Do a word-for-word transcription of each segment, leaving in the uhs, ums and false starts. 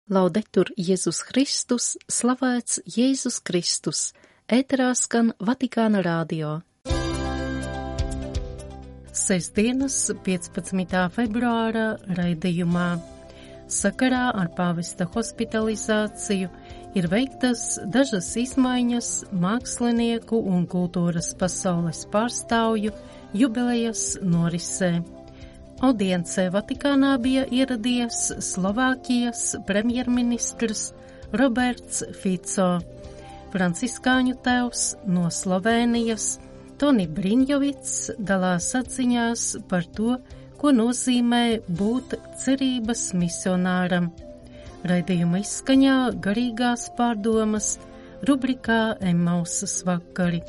Laudetur Jēzus Kristus, slavēts Jēzus Kristus, ēterā skan Vatikāna rādio. Sestdienas piecpadsmitā februāra raidījumā sakarā ar pāvesta hospitalizāciju ir veiktas dažas izmaiņas mākslinieku un kultūras pasaules pārstāvju jubilejas norisē. Audiencē Vatikānā bija ieradies Slovākijas premjerministrs Roberts Fico, franciskāņu tēvs no Slovēnijas Toni Briņjovics dalās atziņās par to, ko nozīmē būt cerības misionāram. Raidījuma izskaņā garīgās pārdomas rubrikā Emmausas vakari.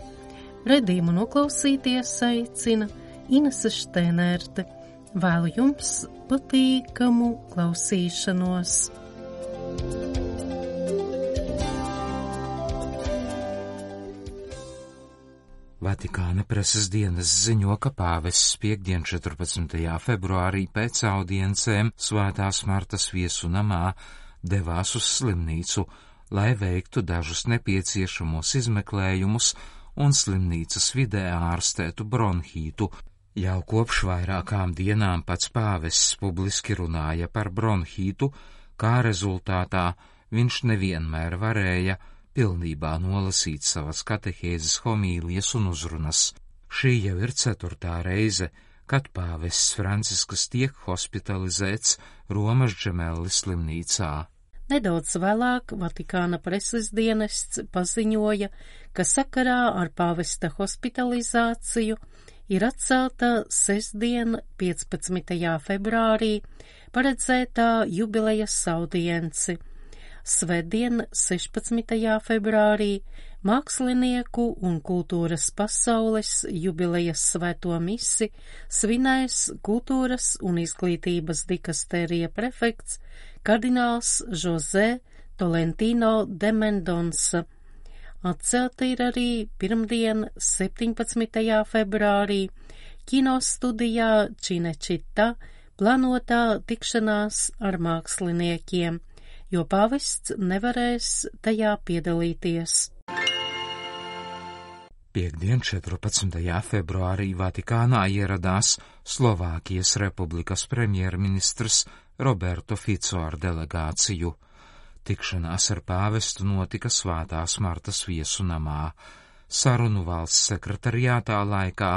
Raidījumu noklausīties aicina Inese Štēnērte. Vēlu jums patīkamu klausīšanos. Vatikāna preses dienas ziņo, ka pāvests piekdien četrpadsmitajā februārī pēc audiencēm Svētās Martas viesu namā devās uz slimnīcu, lai veiktu dažus nepieciešamos izmeklējumus un slimnīcas vidē ārstētu bronhītu. Jau kopš vairākām dienām pats pāvests publiski runāja par bronhītu, kā rezultātā viņš nevienmēr varēja pilnībā nolasīt savas katehēzes homīlijas un uzrunas. Šī jau ir ceturtā reize, kad pāvests Francisks tiek hospitalizēts Romas Džemelli slimnīcā. Nedaudz vēlāk Vatikāna preses dienests paziņoja, ka sakarā ar pāvesta hospitalizāciju ir atcelta sestdien piecpadsmitajā februārī paredzētā jubilejas audience. Svētdien sešpadsmitajā februārī mākslinieku un kultūras pasaules jubilejas svēto misi svinēs kultūras un izglītības dikastērija prefekts kardināls José Tolentino de Mendonsa. Atcelta ir arī pirmdien septiņpadsmitajā februārī kinostudijā Cinecittà plānotā tikšanās ar māksliniekiem, jo pāvests nevarēs tajā piedalīties. Piektdien četrpadsmitajā februārī Vatikānā ieradās Slovākijas republikas premjerministrs Roberto Fico ar delegāciju. Tikšanās ar pāvestu notika Svētās Martas viesu namā. Sarunu valsts sekretariātā laikā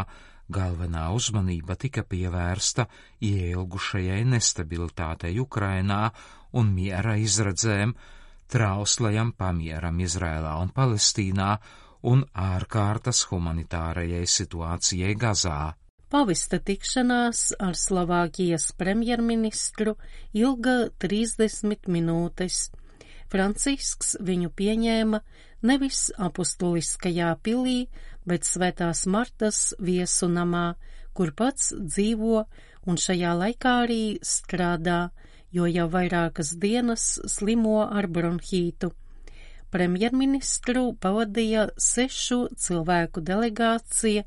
galvenā uzmanība tika pievērsta ieilgušajai nestabilitātei Ukrainā un miera izredzēm, trauslajam pamieram Izrēlā un Palestīnā un ārkārtas humanitārajai situācijai Gazā. Pāvesta tikšanās ar Slovākijas premjerministru ilga trīsdesmit minūtes. Francisks viņu pieņēma nevis apustuliskajā pilī, bet Svētās Martas viesu namā, kur pats dzīvo un šajā laikā arī strādā, jo jau vairākas dienas slimo ar bronhītu. Premjerministru pavadīja sešu cilvēku delegācija,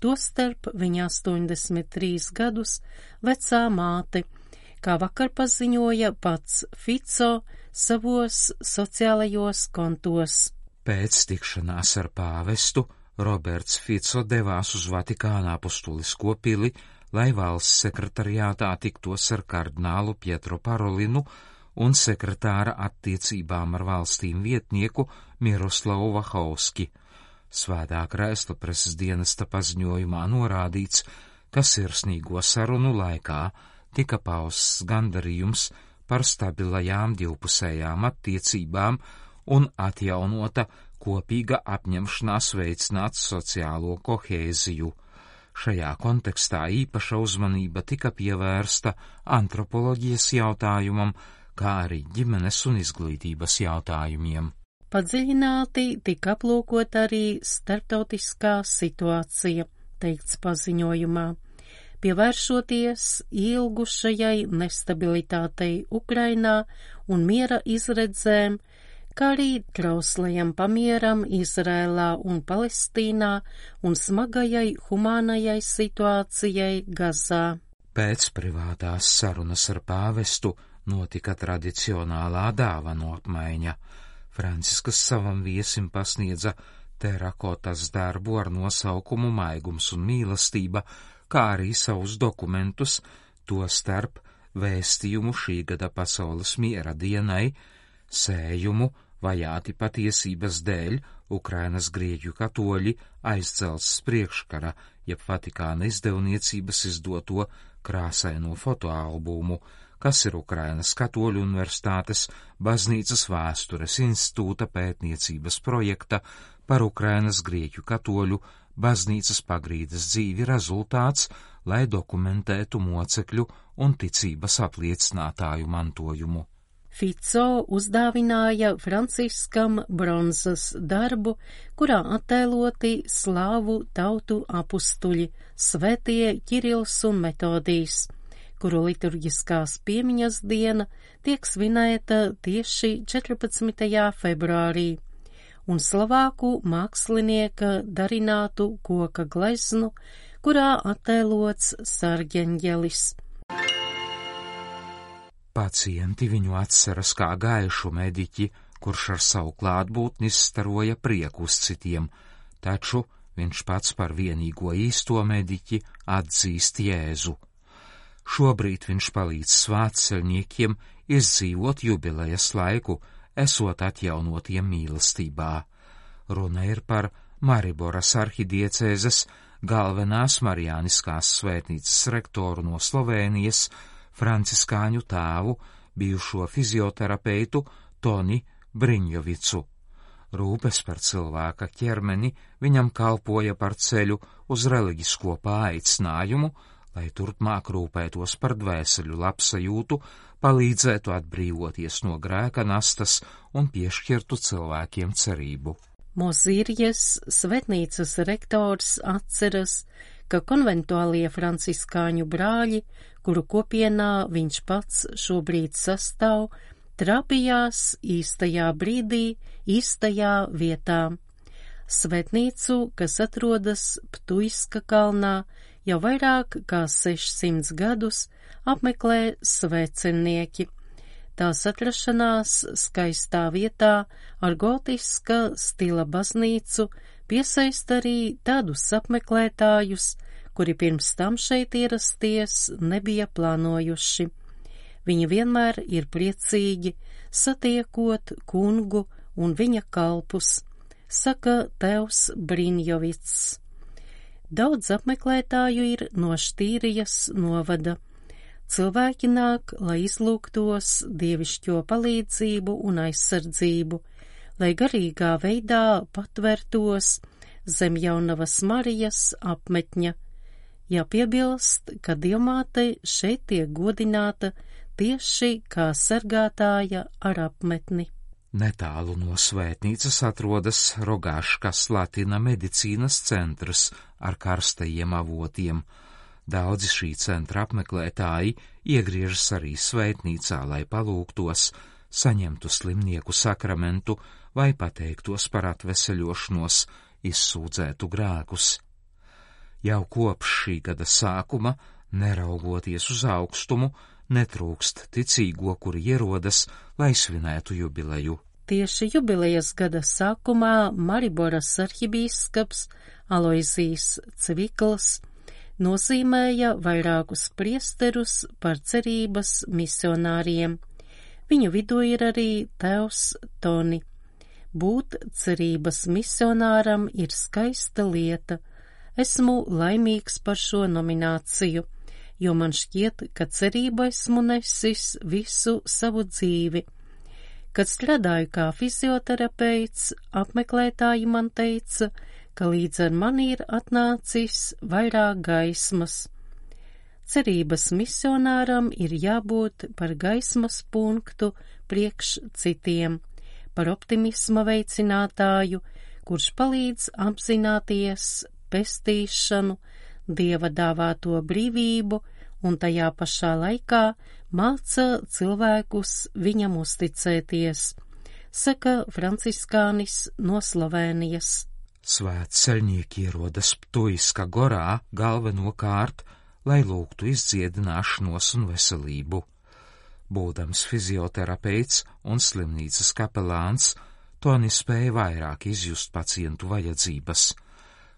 tostarp viņa astoņdesmit trīs gadus vecā māte, kā vakar paziņoja pats Fico savos sociālajos kontos. Pēc tikšanās ar pāvestu Roberts Fico devās uz Vatikāna apustulisko pili, lai valsts sekretariātā tiktos ar kardinālu Pietro Parolinu un sekretāra attiecībām ar valstīm vietnieku Miroslavu Vahauski. Svētā krēsla preses dienesta paziņojumā norādīts, ka sirsnīgo sarunu laikā tika pausts gandarījums par stabilajām divpusējām attiecībām un atjaunota kopīga apņemšanās veicināt sociālo kohēziju. Šajā kontekstā īpaša uzmanība tika pievērsta antropoloģijas jautājumam, kā arī ģimenes un izglītības jautājumiem. Padziļināti tika aplūkot arī starptautiskā situācija, teikts paziņojumā, pievēršoties ilgušajai nestabilitātei Ukrainā un miera izredzēm, kā arī trauslajam pamieram Izrēlā un Palestīnā un smagajai humānajai situācijai Gazā. Pēc privātās sarunas ar pāvestu Notika tradicionālā dāvanu apmaiņa. Franciskas savam viesim pasniedza terakotas darbu ar nosaukumu Maigums un mīlestība, kā arī savus dokumentus, to starp vēstījumu šī gada pasaules miera dienai, sējumu vajāti patiesības dēļ Ukrainas grieķu katoļi aizcelts priekškara, jeb Vatikāna izdevniecības izdoto krāsaino fotoalbumu, kas ir Ukrainas katoļu universitātes baznīcas vēstures institūta pētniecības projekta par Ukrainas grieķu katoļu baznīcas pagrīdes dzīvi rezultāts, lai dokumentētu mocekļu un ticības apliecinātāju mantojumu. Fico uzdāvināja Franciskam bronzas darbu, kurā attēloti slāvu tautu apustuļi, svētie Kirils un Metodijs, kuru liturģiskās piemiņas diena tiek svinēta tieši četrpadsmitajā februārī, un Slovāku mākslinieka darinātu koka gleznu, kurā attēlots sargeņģelis. Pacienti viņu atceras kā gaišu mediķi, kurš ar savu klātbūtni staroja prieku uz citiem, taču viņš pats par vienīgo īsto mediķi atzīst Jēzu. Šobrīd viņš palīdz svētceļniekiem izdzīvot jubilejas laiku, esot atjaunotiem mīlestībā. Runa ir par Mariboras arhidiecēzes galvenās marijāniskās svētnīcas rektoru no Slovēnijas, franciskāņu tēvu, bijušo fizioterapeitu Toni Briņjovicu. Rūpes par cilvēka ķermeni viņam kalpoja par ceļu uz reliģisko paaicinājumu, lai turpmāk rūpētos par dvēseļu labsajūtu, palīdzētu atbrīvoties no grēka nastas un piešķirtu cilvēkiem cerību. Mozirjas svētnīcas rektors atceras, ka konventuālie franciskāņu brāļi, kuru kopienā viņš pats šobrīd sastāv, trapījās īstajā brīdī, īstajā vietā. Svētnīcu, kas atrodas Ptuiska kalnā, jau vairāk kā sešsimts gadus apmeklē svētceļnieki. Tās atrašanās skaistā vietā ar gotiska stila baznīcu piesaista arī tādus apmeklētājus, kuri pirms tam šeit ierasties nebija plānojuši. Viņi vienmēr ir priecīgi, satiekot kungu un viņa kalpus, saka tēvs Briņjovics. Daudz apmeklētāju ir no Štīrijas novada. Cilvēki nāk, lai izlūgtos dievišķo palīdzību un aizsardzību, lai garīgā veidā patvertos zem Jaunavas Marijas apmetņa. Jāpiebilst, ka Dievmāte šeit tiek godināta tieši kā sargātāja ar apmetni. Netālu no svētnīcas atrodas Rogaškas Latina medicīnas centrs ar karstajiem avotiem. Daudzi šī centra apmeklētāji iegriežas arī svētnīcā, lai palūgtos, saņemtu slimnieku sakramentu vai pateiktos par atveseļošanos, izsūdzētu grēkus. Jau kopš šī gada sākuma, neraugoties uz augstumu, netrūkst ticīgo, kuri ierodas, lai svinētu jubileju. Tieši jubilejas gada sākumā Mariboras arhibīskaps Aloizijs Cvikls nozīmēja vairākus priesterus par cerības misionāriem. Viņu vidū ir arī tēvs Toni. Būt cerības misionāram ir skaista lieta. Esmu laimīgs par šo nomināciju, jo man šķiet, ka cerību esmu nesis visu savu dzīvi. Kad strādāju kā fizioterapeits, apmeklētāji man teica, ka līdz ar mani ir atnācis vairāk gaismas. Cerības misionāram ir jābūt par gaismas punktu priekš citiem, par optimisma veicinātāju, kurš palīdz apzināties pestīšanu, Dieva dāvāto brīvību un tajā pašā laikā māca cilvēkus viņam uzticēties, saka franciskānis no Slovēnijas. Svētceļnieki ierodas Ptuiska gorā galvenokārt, lai lūgtu izdziedināšanos un veselību. Būdams fizioterapeits un slimnīcas kapelāns, Toni spēja vairāk izjust pacientu vajadzības.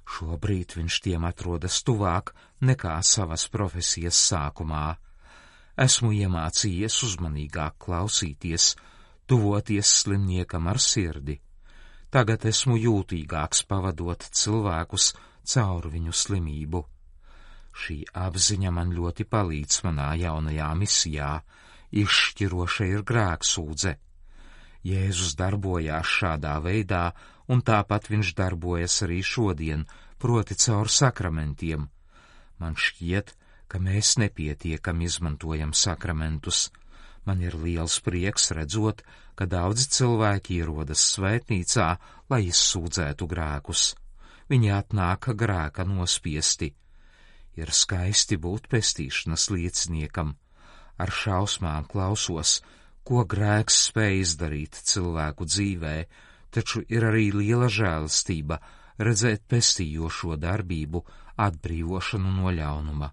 Šobrīd viņš tiem atrodas tuvāk nekā savas profesijas sākumā. Esmu iemācījies uzmanīgāk klausīties, tuvoties slimniekam ar sirdi. Tagad esmu jūtīgāks pavadot cilvēkus caur viņu slimību. Šī apziņa man ļoti palīdz manā jaunajā misijā. Izšķiroša ir grēksūdze. Jēzus darbojās šādā veidā, un tāpat viņš darbojas arī šodien, proti caur sakramentiem. Man šķiet, ka mēs nepietiekami izmantojam sakramentus. Man ir liels prieks redzot, ka daudzi cilvēki ierodas svētnīcā, lai izsūdzētu grēkus. Viņi atnāk grēka nospiesti. Ir skaisti būt pestīšanas lieciniekam. Ar šausmām klausos, ko grēks spēj izdarīt cilvēku dzīvē, taču ir arī liela žēlastība redzēt pestījošo darbību, atbrīvošanu no ļaunuma.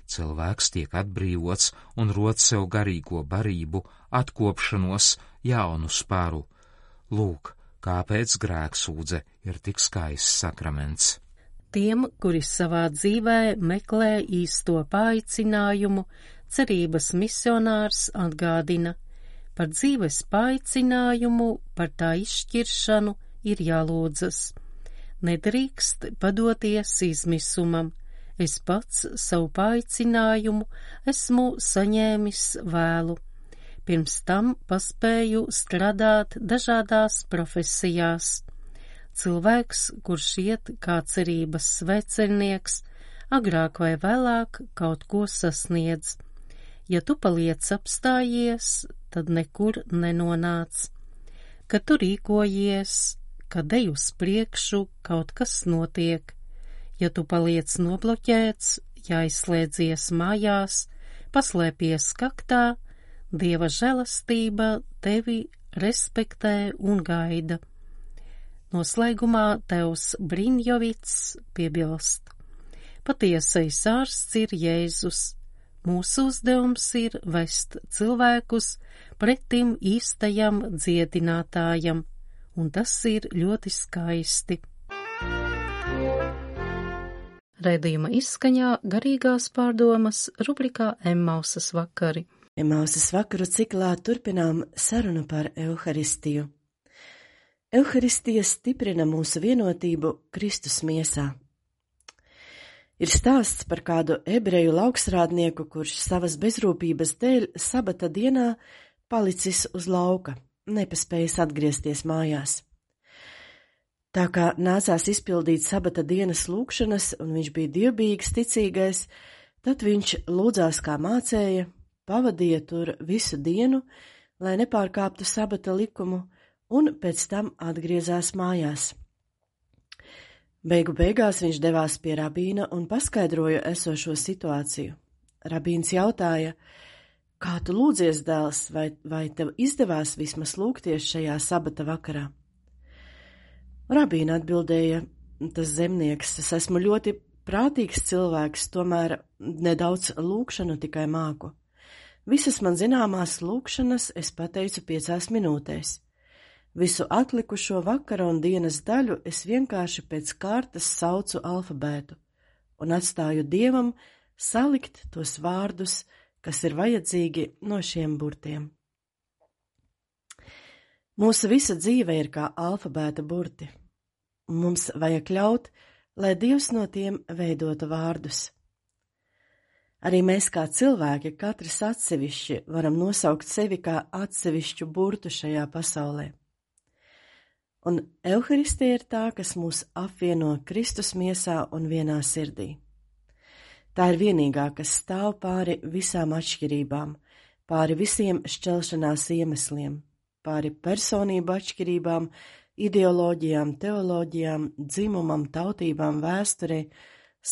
Cilvēks tiek atbrīvots un rod sev garīgo barību, atkopšanos, jaunu spāru. Lūk, kāpēc grēksūdze ir tik skaists sakraments. Tiem, kuri savā dzīvē meklē īsto paaicinājumu, cerības misionārs atgādina, par dzīves paaicinājumu, par tā izšķiršanu ir jālūdzas. Nedrīkst padoties izmisumam. Es pats savu paaicinājumu esmu saņēmis vēlu. Pirms tam paspēju strādāt dažādās profesijās. Cilvēks, kurš iet kā cerības svecernieks, agrāk vai vēlāk kaut ko sasniedz. Ja tu paliec apstājies, tad nekur nenonāc. Kad tu rīkojies, kad ej uz priekšu, kaut kas notiek. Ja tu paliec nobloķēts, ja aizslēdzies mājās, paslēpies kaktā, Dieva žēlastība tevi respektē un gaida. Noslēgumā Tevs Briņjovits piebilst: patiesais ārsts ir Jēzus. Mūsu uzdevums ir vest cilvēkus pretim īstajam dziedinātājam, un tas ir ļoti skaisti. Raidījuma izskaņā garīgās pārdomas rubrikā Emmausas vakari. Emmausas vakaru ciklā turpinām sarunu par Euharistiju. Euharistija stiprina mūsu vienotību Kristus miesā. Ir stāsts par kādu ebreju lauksrādnieku, kurš savas bezrūpības dēļ sabata dienā palicis uz lauka, nepaspējis atgriezties mājās. Tā kā nācās izpildīt sabata dienas lūgšanas, un viņš bija dievbijīgs ticīgais, tad viņš lūdzās kā mācēja, pavadīja tur visu dienu, lai nepārkāptu sabata likumu, un pēc tam atgriezās mājās. Beigu beigās viņš devās pie rabīna un paskaidroja esošo situāciju. Rabīns jautāja: kā tu lūdzies, dēls, vai, vai tev izdevās vismaz lūgties šajā sabata vakarā? Rabīna atbildēja: tas zemnieks, es esmu ļoti prātīgs cilvēks, tomēr nedaudz lūgšanu tikai māku. Visas man zināmās lūgšanas es pateicu piecās minūtēs. Visu atlikušo vakara un dienas daļu es vienkārši pēc kārtas saucu alfabētu un atstāju Dievam salikt tos vārdus, kas ir vajadzīgi no šiem burtiem. Mūsu visa dzīve ir kā alfabēta burti. Mums vajag ļaut, lai Dievs no tiem veidotu vārdus. Arī mēs kā cilvēki, katrs atsevišķi, varam nosaukt sevi kā atsevišķu burtu šajā pasaulē. Un Euharistija ir tā, kas mūs apvieno Kristus miesā un vienā sirdī. Tā ir vienīgā, kas stāv pāri visām atšķirībām, pāri visiem šķelšanās iemesliem, pāri personību atšķirībām, ideoloģijām, teoloģijām, dzimumam, tautībām, vēsturei,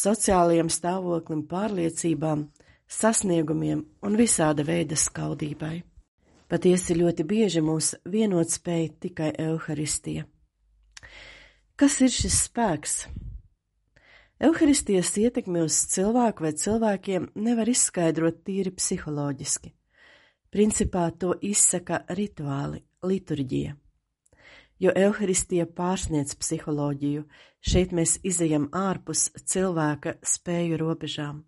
sociālajiem stāvoklim, pārliecībām, sasniegumiem un visāda veida skaudībai. Patiesi ļoti bieži mūs vienot spēj tikai Euharistija. Kas ir šis spēks? Euharistijas ietekmi uz cilvēku vai cilvēkiem nevar izskaidrot tīri psiholoģiski. Principā to izsaka rituāli, liturģija. Jo evaharistija pārsniedz psiholoģiju, šeit mēs izejam ārpus cilvēka spēju robežām.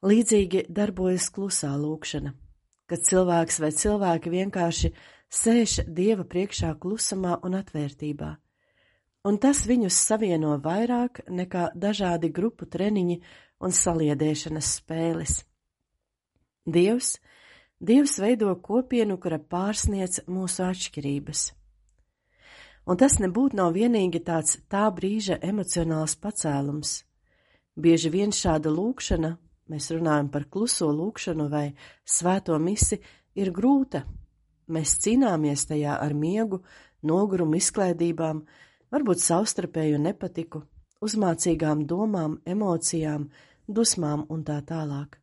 Līdzīgi darbojas klusā lūkšana, kad cilvēks vai cilvēki vienkārši sēž Dieva priekšā klusumā un atvērtībā, un tas viņus savieno vairāk nekā dažādi grupu treniņi un saliedēšanas spēles. Dievs, Dievs veido kopienu, kura pārsniedz mūsu atšķirības. Un tas nebūtu nav vienīgi tāds tā brīža emocionāls pacēlums. Bieži vien šāda lūkšana, mēs runājam par kluso lūkšanu vai svēto misi, ir grūta. Mēs cīnāmies tajā ar miegu, nogurumu, izklaidībām, varbūt savstarpēju nepatiku, uzmācīgām domām, emocijām, dusmām un tā tālāk.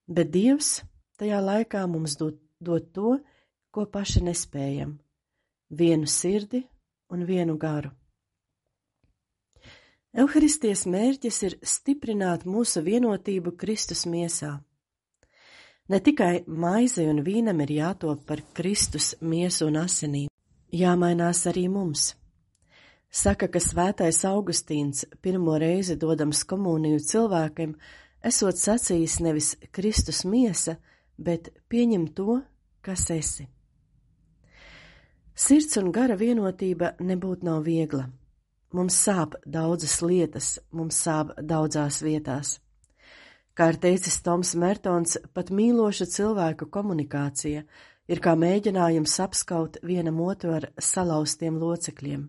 Bet Dievs tajā laikā mums dod, dod to, ko paši nespējam – vienu sirdi un vienu garu. Evaharistijas mērķis ir stiprināt mūsu vienotību Kristus miesā. Ne tikai maizei un vīnam ir jātop par Kristus miesu un asinīm, jāmainās arī mums. Saka, ka svētais Augustīns pirmo reizi dodams komuniju cilvēkiem, esot sacījis nevis Kristus miesa, bet pieņem to, kas esi. Sirds un gara vienotība nebūtu nav viegla. Mums sāp daudzas lietas, mums sāp daudzās vietās. Kā ir teicis Toms Mertons, pat mīloša cilvēku komunikācija ir kā mēģinājums apskaut vienam otru ar salauztiem locekļiem.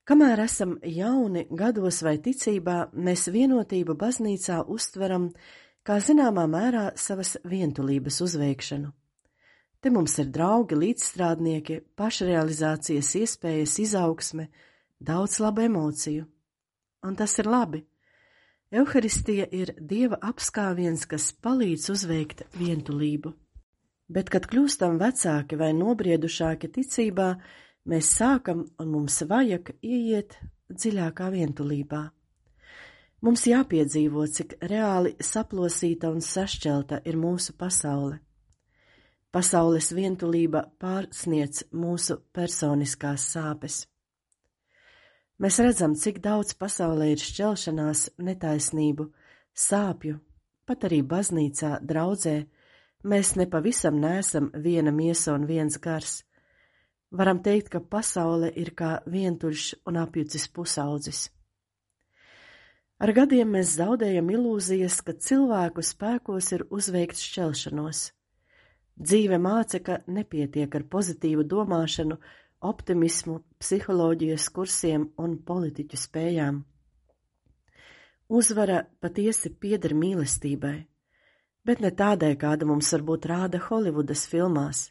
Kamēr esam jauni gados vai ticībā, mēs vienotību baznīcā uztveram kā zināmā mērā savas vientulības uzveikšanu. Te mums ir draugi, līdzstrādnieki, pašrealizācijas iespējas, izaugsme, daudz labu emociju. Un tas ir labi. Evaharistija ir Dieva apskāviens, kas palīdz uzveikt vientulību. Bet, kad kļūstam vecāki vai nobriedušāki ticībā, mēs sākam un mums vajag ieiet dziļākā vientulībā. Mums jāpiedzīvo, cik reāli saplosīta un sašķelta ir mūsu pasaule. Pasaules vientulība pārsniedz mūsu personiskās sāpes. Mēs redzam, cik daudz pasaulē ir šķelšanās, netaisnību, sāpju, pat arī baznīcā, draudzē. Mēs nepavisam neesam viena miesa un viens gars. Varam teikt, ka pasaule ir kā vientuļš un apjucis pusaudzis. Ar gadiem mēs zaudējam ilūzijas, ka cilvēku spēkos ir uzveikt šķelšanos. Dzīve māca, ka nepietiek ar pozitīvu domāšanu, optimismu, psiholoģijas kursiem un politiķu spējām. Uzvara patiesi pieder mīlestībai, bet ne tādai, kāda mums varbūt rāda Holivudas filmās.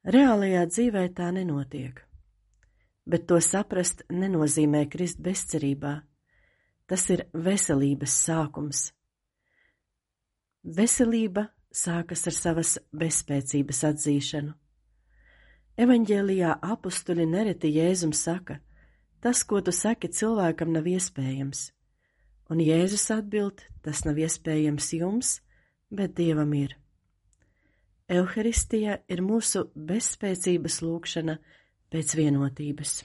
Reālajā dzīvē tā nenotiek, bet to saprast nenozīmē krist bezcerībā. Tas ir veselības sākums. Veselība sākas ar savas bezspēcības atzīšanu. Evaņģēlijā apustuļi nereti Jēzum saka, tas, ko tu saki, cilvēkam nav iespējams. Un Jēzus atbild, tas nav iespējams jums, bet Dievam ir. Evaharistija ir mūsu bezspēcības lūkšana pēc vienotības.